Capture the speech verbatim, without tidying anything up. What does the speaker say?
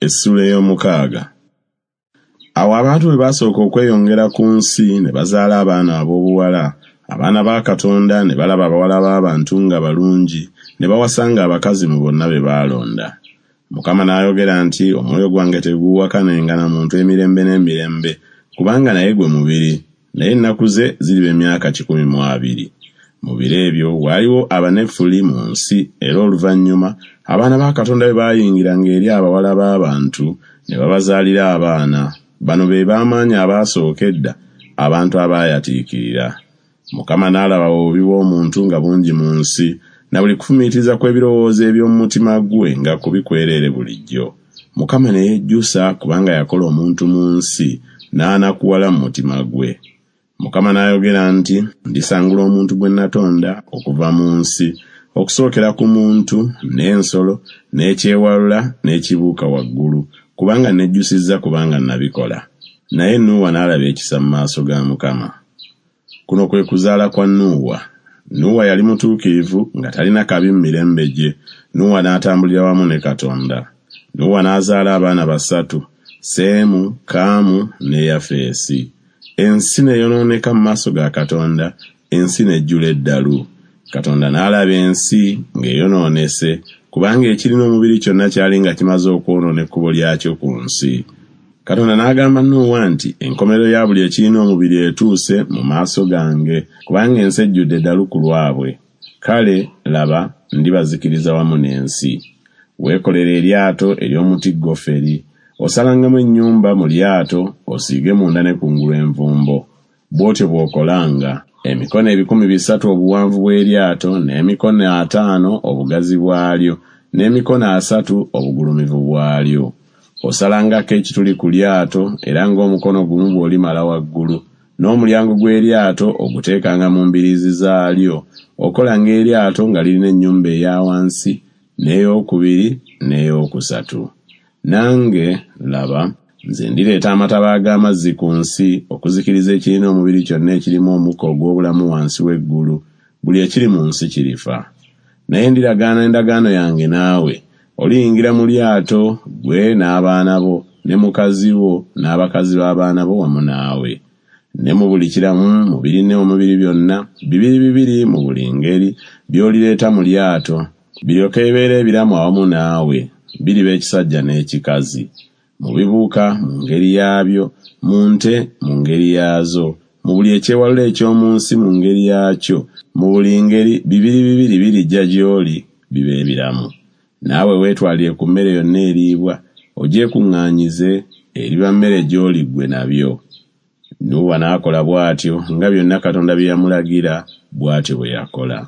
Essuula ey'omukaaga. Awo abantu bwe baasooka okweyongera ku nsi ne bazaala abaana ab'obuwala, abaana ba Katonda ne balaba abawala b'abantu nga balungi, ne bawasanga abakazi mu bonna be baalonda. Mukama n'ayogera nti, Omwoyo gwange teguuwakanenga na muntu emirembe n'emirembe, kubanga naye gwe mubiri, naye ennaku ze ziriba emyaka kikumi mu abiri. Mu biro ebyo waaliwo Abanefuli mu nsi, era oluvannyuma abaana ba Katonda bwe baayingiranga eri abawala b'abantu ne babazaalira abaana. Bano be b'amaanyi abaasooka edda, abantu abaayatiikirira. Mukama n'alaba obubi bw'omuntu nga bungi mu nsi, na buli kufumiitiriza kw'ebirowoozo eby'omu mutima gwe nga kubi kwereere bulijjo. Mukama ne yejjusa kubanga yakola omuntu mu nsi, n'anakuwala mu mutima gwe. Mukama n'ayogera nti, Ndisangula omuntu gwe natonda okuva mu nsi, okusookera ku muntu, n'ensolo, n'ekyewalula, n'ekibuuka waggulu, kubanga nejjusizza kubanga nabikola. Naye Nuuwa n'alaba ekisa mu maaso ga Mukama. Kuno kwe kuzaala kwa Nuuwa. Nuuwa yali mutuukirivu nga talina kabi mu mirembe gye. Nuuwa n'atambulira wamu ne Katonda. Nuuwa n'azaala abaana basatu, Seemu, Kaamu ne Yafeesi. Ensi ne yonooneka mu maaso ga Katonda, ensi n'ejjula eddalu. Katonda n'alaba ensi ng'eyonoonese, kubanga ekirina omubiri kyonna kyali nga kimaze okwonoona ekkubo lyakyo ku nsi. Katonda n'agamba Nuuwa nti, Enkomerero ya buli ekirina omubiri etuuse mu maaso gange, kubanga ensi ejjudde eddalu ku lwabwe. Kale, laba, ndibazikiriza wamu n'ensi. Weekolere eryato ery'omuti goferi, osalangamu ennyumba mu lyato, osiige munda ne kungulu envumbo. Bw'otyo bw'okolanga, emikono ebikumi bisatu obuwanvu bw'eryato, n'emikono ataano obugazi bwalyo, n'emikono asatu obugulumivu bwalyo. Osalangako ekituli ku lyato, era ng'omukono gumu bw'olimala waggulu, n'omulyango gw'eryato oguteekanga mu mbiriizi zaalyo. Okolanga eryato nga lirina ennyumba eya wansi, n'eyokubiri, n'eyokusatu. Nange, laba, nze ndireeta amataba ag'amazzi ku nsi okuzikiriza ekirina omubiri kyonna ekirimu omukka ogw'obulamu wansi w'eggulu, buli ekiri mu nsi kirifa. Naye ndiragaana endagaano yange naawe, oliyingira mu lyato, ggwe n'abaana bo, ne mukazi wo, n'abakazi b'abaana bo wamu naawe. Ne mu buli kiramu mu birina omubiri byonna, bibiri bibiri mu buli ngeri, by'olireeta mu lyato, biryoke bibeere ebiramu awamu naawe, biriba ekisajja n'ekikazi. Mu bibuuka mu ngeri yaabyo, mu nte mu ngeri yaazo, mu buli ekyewalula eky'omu nsi mu ngeri yaakyo, mu buli ngeri bibiri bibiri birijja gy'oli bibe ebiramu. Naawe weetwalire ku mmere yonna eriibwa, ogyekuŋŋaanyize, eriba mmere gy'oli ggwe nabyo. Nuuwa n'akola bw'atyo nga byonna Katonda bye yamulagira, bw'atyo bwe yakola.